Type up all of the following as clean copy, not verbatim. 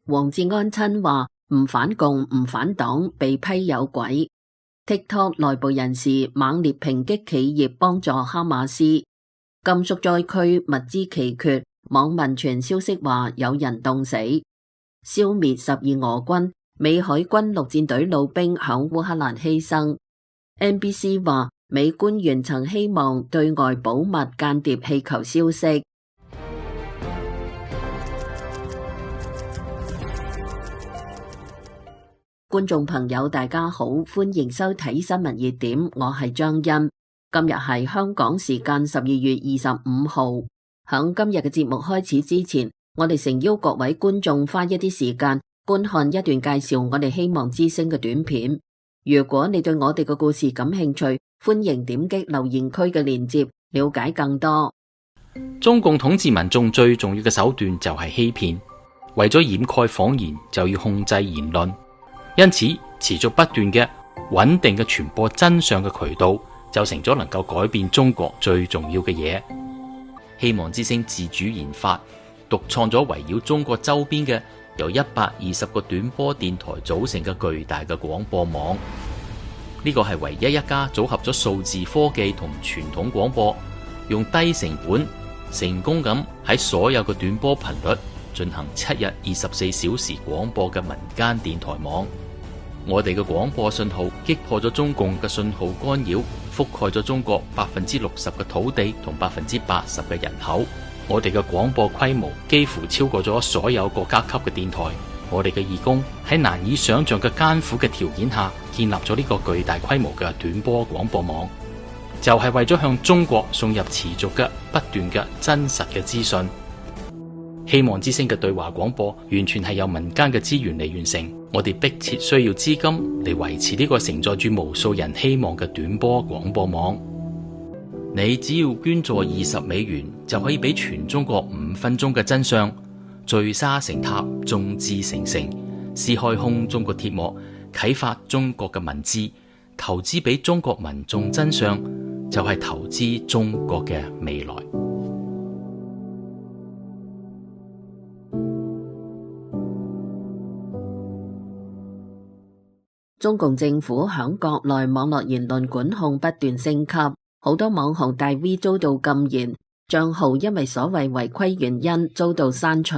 王志安親話唔反共唔反黨，被批有鬼。TikTok 內部人士猛烈抨擊企業幫助哈馬斯。甘肅災區物資奇缺，網民傳消息話有人凍死。消滅12俄軍，美海軍陸戰隊老兵響烏克蘭犧牲。NBC 話美官員曾希望對外保密間諜氣球消息。觀眾朋友大家好，歡迎收睇新聞熱點，我係張欣。今日係香港時間12月25號。響今日嘅節目開始之前，我哋誠邀各位觀眾花一啲時間觀看一段介紹我哋希望之聲嘅短片。如果你對我哋嘅故事感興趣，歡迎點擊留言區嘅鏈接，了解更多。中共統治民眾最重要嘅手段就係欺騙，為咗掩蓋謊言，就要控制言論。因此，持續不斷嘅穩定嘅傳播真相嘅渠道，就成咗能夠改變中國最重要嘅嘢。希望之聲自主研發、獨創咗圍繞中國周邊嘅由120個短波電台組成嘅巨大嘅廣播網。呢個係唯一一家組合咗數字科技同傳統廣播，用低成本成功咁喺所有嘅短波頻率進行7日24小時廣播嘅民間電台網。我哋嘅廣播信號擊破咗中共嘅信號干擾，覆蓋咗中國60%嘅土地同80%嘅人口。我哋嘅廣播規模幾乎超過咗所有國家級嘅電台。我哋嘅義工喺難以想象嘅艱苦嘅條件下，建立咗呢個巨大規模嘅短波廣播網，就係為咗向中國送入持續嘅不斷嘅真實嘅資訊。希望之聲嘅對話廣播完全係由民間嘅資源嚟完成，我哋迫切需要資金嚟維持呢個承載住無數人希望嘅短波廣播網。你只要捐助$20，就可以俾全中國5分鐘嘅真相，聚沙成塔，眾志成城，撕開空中國鐵幕，啟發中國嘅文字，投資俾中國民眾真相，就係投資中國嘅未來。中共政府響國內網絡言論管控不斷升級，好多網紅大 V 遭到禁言，賬號因為所謂違規原因遭到刪除。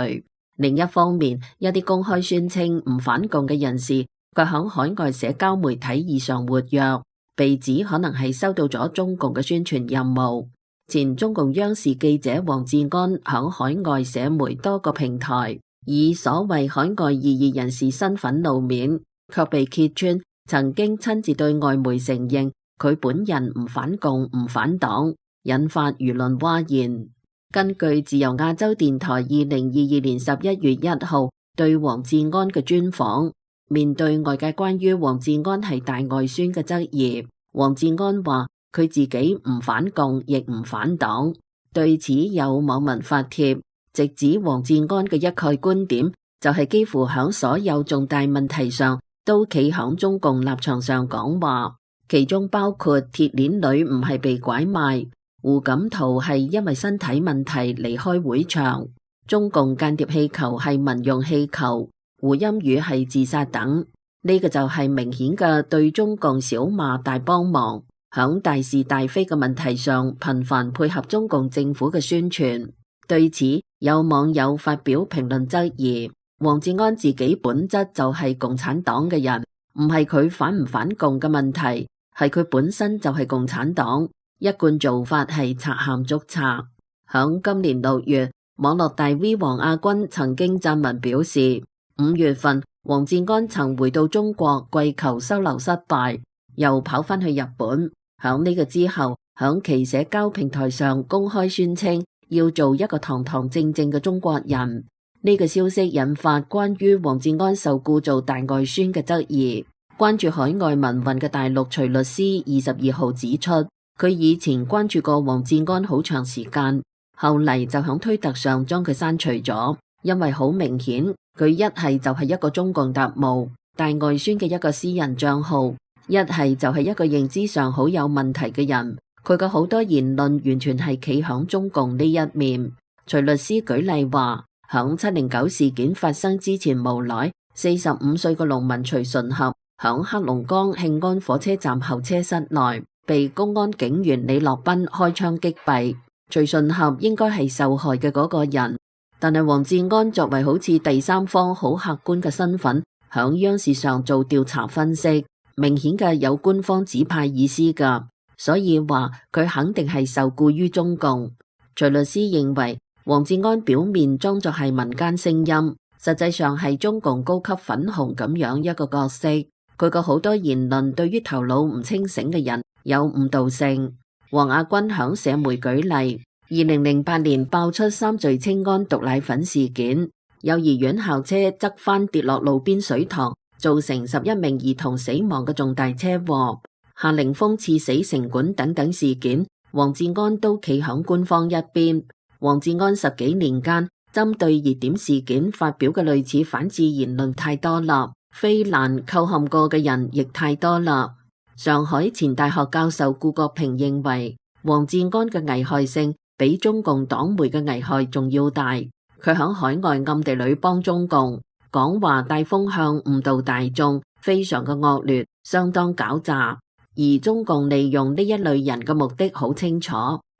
另一方面，一啲公開宣稱唔反共嘅人士，卻響海外社交媒體異常活躍，被指可能係收到咗中共嘅宣傳任務。前中共央視記者王志安響海外社媒多個平台，以所謂海外異議人士身份露面，卻被揭穿曾經親自對外媒承認佢本人唔反共唔反黨，引發輿論譁然。根據自由亞洲電台2022年11月1號對王志安嘅專訪，面對外界關於王志安係大外宣嘅質疑，王志安話佢自己唔反共亦唔反黨。對此有網民發帖，直指王志安嘅一概觀點就係幾乎響所有重大問題上都企響中共立場上講話，其中包括鐵鏈女唔係被拐賣，胡錦濤係因為身體問題離開會場，中共間諜氣球係民用氣球，胡鑫宇係自殺等。呢個就係明顯嘅對中共小罵大幫忙，響大是大非嘅問題上頻繁配合中共政府嘅宣傳。對此有網友發表評論質疑，王志安自己本質就係共產黨嘅人，唔係佢反唔反共嘅問題，係佢本身就係共產黨，一貫做法係賊喊捉賊。響今年6月，網絡大 V 王亞軍曾經撰文表示，5月份王志安曾回到中國跪求收留失敗，又跑返去日本。響呢個之後，響其社交平台上公開宣稱要做一個堂堂正正嘅中國人。呢個消息引發關於王志安受雇做大外宣嘅質疑。關注海外民運嘅大陸徐律師22號指出，佢以前關注過王志安好長時間，後嚟就響推特上將佢刪除咗，因為好明顯佢一係就係一個中共特務大外宣嘅一個私人賬號，一係就係一個認知上好有問題嘅人，佢嘅好多言論完全係企響中共呢一面。徐律師舉例話，響響709事件發生之前無耐，45歲嘅農民徐順合響黑龍江慶安火車站候車室內被公安警員李樂斌開槍擊斃。徐順合應該係受害嘅嗰個人，但係王志安作為好似第三方好客觀嘅身份，響央視上做調查分析，明顯嘅有官方指派意思噶，所以話佢肯定係受僱於中共。徐律師認為，王志安表面裝作係民間聲音，實際上係中共高級粉紅咁樣一個角色。佢個好多言論對於頭腦唔清醒嘅人有誤導性。王亞軍響社媒舉例，2008年爆出三聚氰胺毒奶粉事件，幼兒園校車側翻跌落路邊水塘，造成11名兒童死亡嘅重大車禍，夏凌峰刺死城管等等事件，王志安都企響官方一邊。王志安10幾年間針對熱點事件發表嘅類似反智言論太多啦，非難構陷過嘅人亦太多啦。上海前大學教授顧國平認為，王志安嘅危害性比中共黨媒嘅危害仲要大。佢響海外暗地裏幫中共講話帶風向誤導大眾，非常嘅惡劣，相當狡詐。而中共利用呢一類人嘅目的好清楚，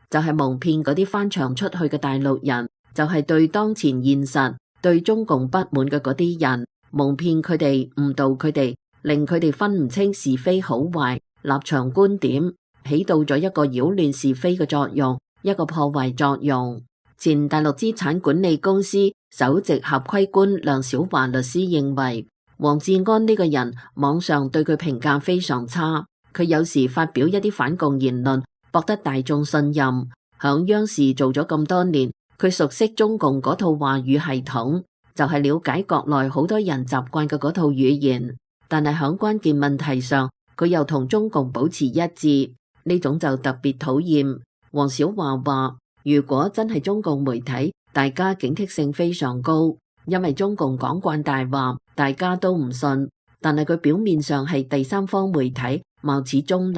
就係蒙騙嗰啲翻牆出去嘅大陸人，就係對當前現實、對中共不滿嘅嗰啲人，蒙騙佢哋，誤導佢哋，令佢哋分唔清是非好壞、立場觀點，起到咗一個擾亂是非嘅作用，一個破壞作用。前大陸資產管理公司首席合規官梁小華律師認為，王志安呢個人網上對佢評價非常差，佢有時發表一啲反共言論，博得大眾信任。響央視做咗咁多年，佢熟悉中共嗰套話語系統，就係了解國內好多人習慣嘅嗰套語言。但係響關鍵問題上，佢又同中共保持一致，呢種就特別討厭。王小華話，如果真係中共媒體，大家警惕性非常高，因為中共講慣大話，大家都唔信。但係佢表面上係第三方媒體，貌似中立，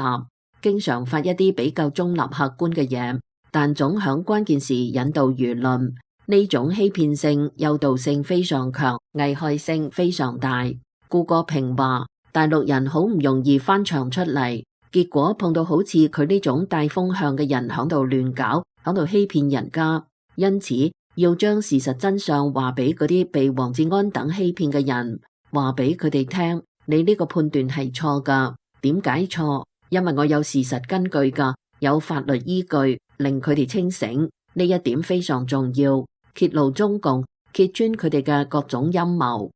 經常發一啲比較中立客觀嘅嘢，但總響關鍵時引導輿論。呢種欺騙性、誘導性非常強，危害性非常大。顧國平話，大陸人好唔容易翻牆出嚟，結果碰到好似佢呢種帶風向嘅人響度亂搞，響度欺騙人家，因此要將事實真相話俾嗰啲被王志安等欺騙嘅人，話俾佢哋聽，你呢個判斷係錯噶。點解錯？因為我有事實根據噶，有法律依據，令佢哋清醒。呢一點非常重要，揭露中共，揭穿佢哋嘅各種陰謀。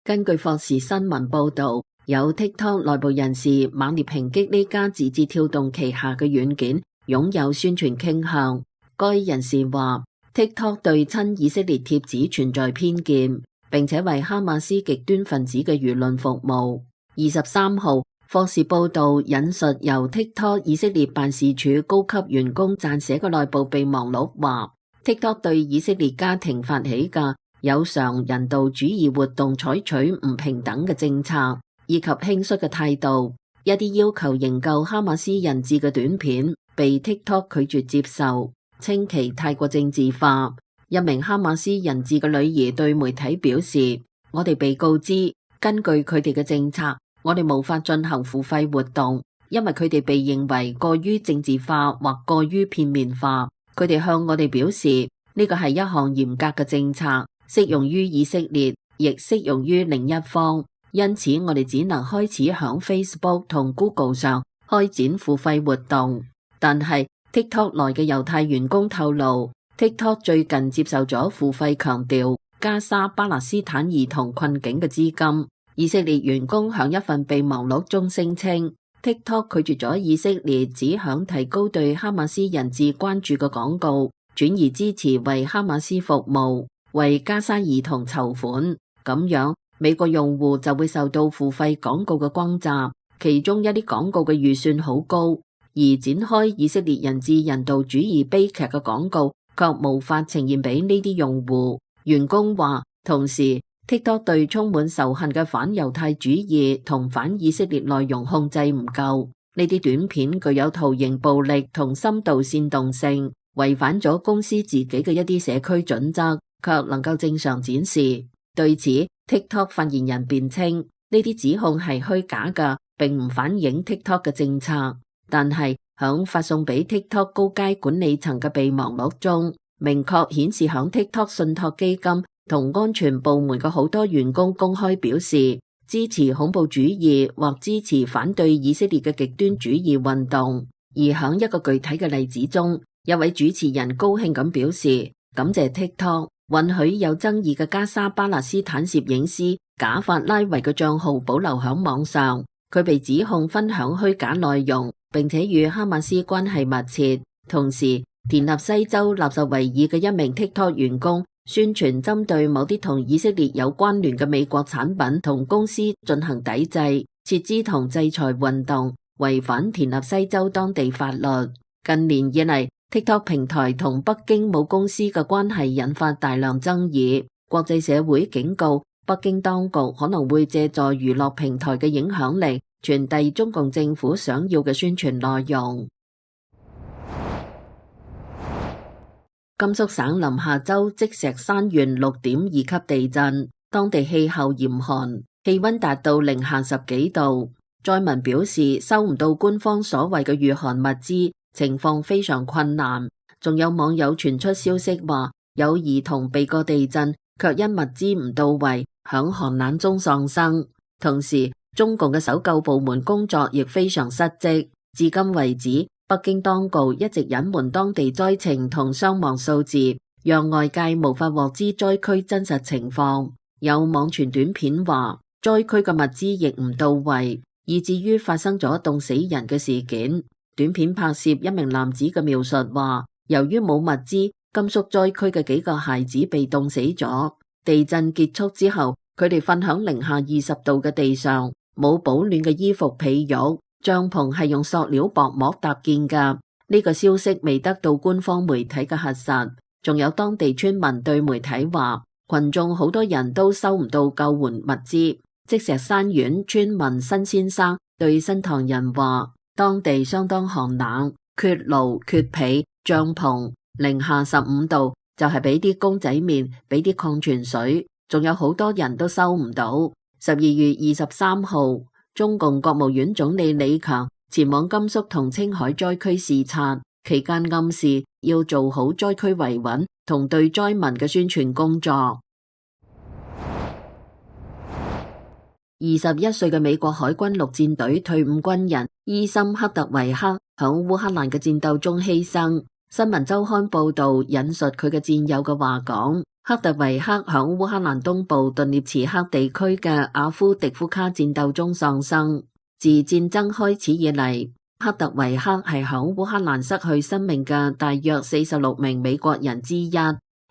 根據霍士新聞報道，有 TikTok 內部人士猛烈抨擊呢家字節跳動旗下嘅軟件擁有宣傳傾向。該人士話 TikTok 對親以色列帖子存在偏見，並且為哈馬斯極端分子嘅輿論服務。23號，霍士報道引述由 TikTok 以色列辦事處高級員工撰寫嘅內部備忘錄話 ，TikTok 對以色列家庭發起嘅有償人道主義活動採取唔平等嘅政策，以及輕率嘅態度。一啲要求營救哈馬斯人質嘅短片被 TikTok 拒絕接受，稱其太過政治化。一名哈馬斯人質嘅女兒對媒體表示，我哋被告知，根據佢哋嘅政策，我哋無法進行付費活動，因為佢哋被認為過於政治化或過於片面化。佢哋向我哋表示，呢個係一項嚴格嘅政策，適用於以色列，亦適用於另一方。因此，我哋只能開始響 Facebook 同 Google 上開展付費活動。但係 TikTok 內嘅猶太員工透露，TikTok 最近接受咗付費強調加沙巴勒斯坦兒童困境嘅資金。以色列員工響一份備忘錄中聲稱 ，TikTok 拒絕咗以色列只響提高對哈馬斯人質關注嘅廣告，轉而支持為哈馬斯服務，為加沙兒童籌款。咁樣，美國用戶就會受到付費廣告嘅轟炸，其中一啲廣告嘅預算好高，而展開以色列人質人道主義悲劇嘅廣告卻無法呈現俾呢啲用戶。員工話，同時 TikTok 對充滿仇恨嘅反猶太主義同反以色列內容控制唔夠，呢啲短片具有圖形暴力同深度煽動性，違反咗公司自己嘅一啲社區準則，卻能夠正常展示。對此 ，TikTok 發言人辯稱呢啲指控係虛假嘅，並唔反映 TikTok 嘅政策。但係響發送俾 TikTok 高階管理層嘅備忘錄中，明確顯示響 TikTok 信託基金同安全部門嘅好多員工公開表示支持恐怖主義或支持反對以色列嘅極端主義運動。而響一個具體嘅例子中，一位主持人高興咁表示感謝 TikTok 允許有爭議嘅加沙巴勒斯坦攝影師賈法拉維嘅賬號保留響網上。佢被指控分享虛假內容，並且與哈馬斯關係密切。同時，田納西州納什維爾嘅一名 TikTok 員工宣傳針對某啲同以色列有關聯嘅美國產品同公司進行抵制、撤資同制裁運動，違反田納西州當地法律。近年以嚟，TikTok 平台同北京母公司嘅關係引發大量爭議。國際社會警告北京當局可能會借助娛樂平台嘅影響力，傳遞中共政府想要嘅宣傳內容。甘肅省臨夏州積石山縣6.2級地震，當地氣候嚴寒，氣溫達到-10幾度。災民表示收唔到官方所謂嘅御寒物資，情況非常困難。仲有網友傳出消息話，有兒童避過地震，卻因物資唔到位，響寒冷中喪生。同時，中共嘅搜救部門工作亦非常失職。至今為止，北京當局一直隱瞞當地災情同傷亡數字，讓外界無法獲知災區真實情況。有網傳短片話，災區嘅物資亦唔到位，以至於發生咗凍死人嘅事件。短片拍攝一名男子嘅描述話，由於冇物資，甘肅災區嘅幾個孩子被凍死咗。地震結束之後，佢哋瞓響-20度嘅地上，冇保暖嘅衣服被褥，帳篷係用塑料薄膜搭建㗎。呢個消息未得到官方媒體嘅核實。仲有當地村民對媒體話，群眾好多人都收唔到救援物資。積石山縣村民辛先生對新唐人話，當地相當寒冷，缺爐缺被，帳篷-15度，就係俾啲公仔麵，俾啲礦泉水，仲有好多人都收唔到。12月23號，中共國務院總理李強前往甘肅同青海災區視察，期間暗示要做好災區維穩同對災民嘅宣傳工作。21歲嘅美國海軍陸戰隊退伍軍人伊森克特維克響烏克蘭嘅戰鬥中犧牲。新聞週刊報道引述佢嘅戰友嘅話講，克特維克響烏克蘭東部頓涅茨克地區嘅阿夫迪夫卡戰鬥中喪生。自戰爭開始以嚟，克特維克係響烏克蘭失去生命嘅大約46名美國人之一，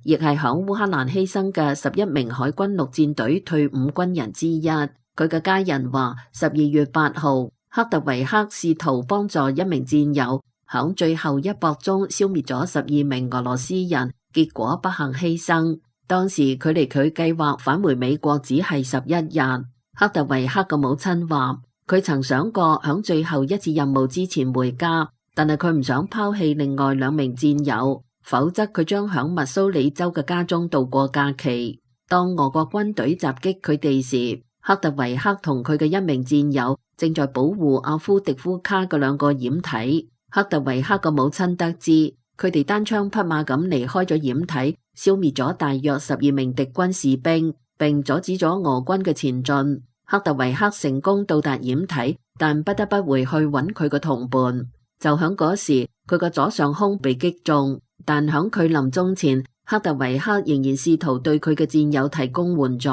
亦係響烏克蘭犧牲嘅11名海軍陸戰隊退伍軍人之一。佢嘅家人話，12月8號，克特維克試圖幫助一名戰友響最後一搏中消滅咗12名俄羅斯人，結果不幸犧牲。當時距離佢計劃返回美國只係11日。克特維克嘅母親話，佢曾想過響最後一次任務之前回家，但係佢唔想拋棄另外2名戰友，否則佢將響密蘇里州嘅家中度過假期。當俄國軍隊襲擊佢哋時，克特維克同佢嘅一名戰友正在保護阿夫迪夫卡嘅2個掩體。克特維克嘅母親得知，佢哋單槍匹馬咁離開咗掩體，消滅咗大約12名敵軍士兵，並阻止咗俄軍嘅前進。克特維克成功到達掩體，但不得不回去揾佢嘅同伴。就響嗰時，佢個左上胸被擊中，但響佢臨終前，克特維克仍然試圖對佢嘅戰友提供援助。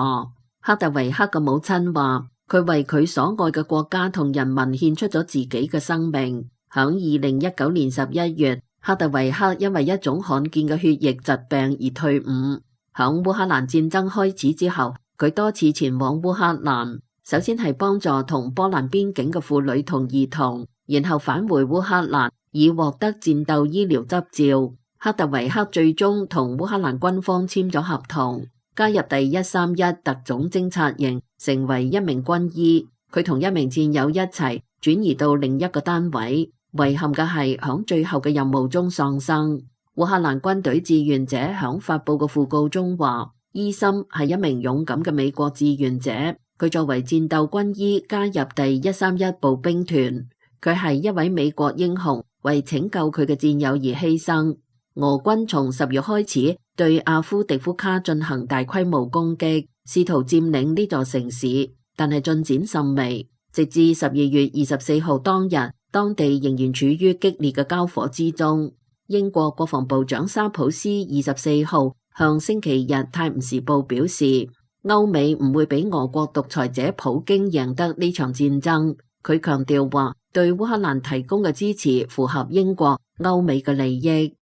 克特維克嘅母親話，佢為佢所愛嘅國家同人民獻出咗自己嘅生命。響2019年11月，克特維克因為一種罕見嘅血液疾病而退伍。響烏克蘭戰爭開始之後，佢多次前往烏克蘭，首先係幫助同波蘭邊境嘅婦女同兒童，然後返回烏克蘭以獲得戰鬥醫療執照。克特維克最終同烏克蘭軍方簽咗合同，加入第131特種偵察營，成為一名軍醫。佢同一名戰友一齊轉移到另一個單位。遺憾嘅係響最後嘅任務中喪生。烏烏克蘭軍隊志願者響發佈嘅訃告中話，伊森係一名勇敢嘅美國志願者，佢作為戰鬥軍醫加入第131步兵團，佢係一位美國英雄，為拯救佢嘅戰友而犧牲。俄軍從10月開始對阿夫迪夫卡進行大規模攻擊，試圖佔領呢座城市，但係進展甚微。直至12月24號當日，當地仍然處於激烈嘅交火之中。英國國防部長沙普斯24號向星期日《泰晤士報》表示，歐美唔會俾俄國獨裁者普京贏得呢場戰爭。佢強調話，對烏克蘭提供嘅支持符合英國、歐美嘅利益。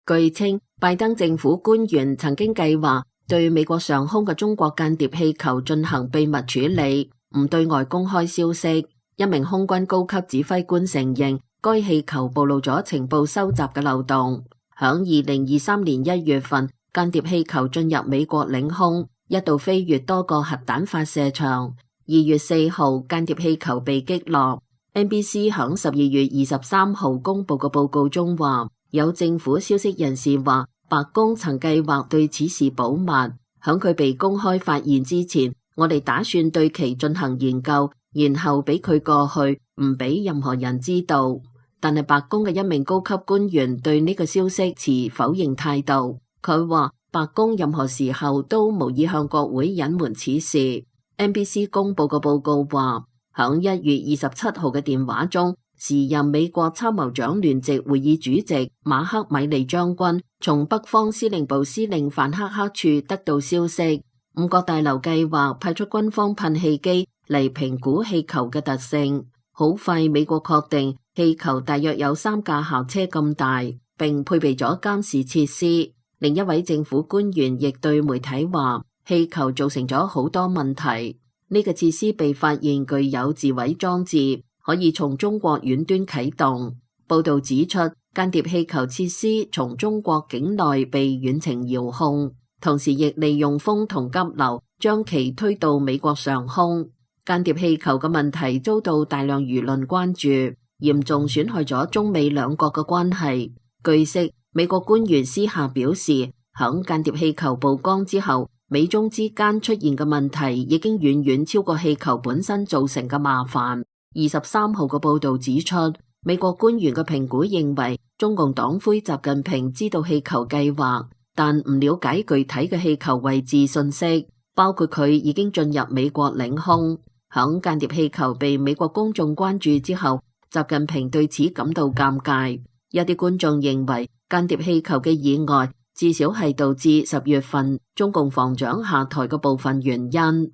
據稱，拜登政府官員曾經計劃對美國上空嘅中國間諜氣球進行秘密處理，唔對外公開消息。一名空軍高級指揮官承認，該氣球暴露咗情報收集嘅漏洞。響2023年1月份，間諜氣球進入美國領空，一度飛越多個核彈發射場。2月4號，間諜氣球被擊落。NBC 響12月23號公布嘅報告中話，有政府消息人士話，白宮曾計劃對此事保密。響佢被公開發現之前，我哋打算對其進行研究，然後俾佢過去，唔俾任何人知道。但係白宮嘅一名高級官員對呢個消息持否認態度。佢話白宮任何時候都無意向國會隱瞞此事。NBC 公布嘅報告話，響1月27號嘅電話中，時任美國參謀長聯席會議主席馬克米利將軍從北方司令部司令范克克處得到消息，五角大樓計劃派出軍方噴氣機嚟評估氣球嘅特性。好快，美國確定氣球大約有3架校車咁大，並配備咗監視設施。另一位政府官員亦對媒體話，氣球造成咗好多問題。呢個設施被發現具有自毀裝置，可以從中國遠端啟動。報道指出，間諜氣球設施從中國境內被遠程遙控，同時亦利用風同急流將其推到美國上空。間諜氣球嘅問題遭到大量輿論關注，嚴重損害咗中美兩國嘅關係。據悉，美國官員私下表示，響間諜氣球曝光之後，美中之間出現嘅問題已經遠遠超過氣球本身造成嘅麻煩。23號嘅報道指出，美國官員嘅評估認為，中共黨魁習近平知道氣球計劃，但唔了解具體嘅氣球位置信息，包括佢已經進入美國領空。響間諜氣球被美國公眾關注之後，習近平對此感到尷尬。有啲觀眾認為，間諜氣球嘅意外至少係導致10月份中共防長下台嘅部分原因。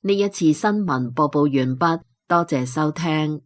呢一次新聞播報完畢，多謝收聽。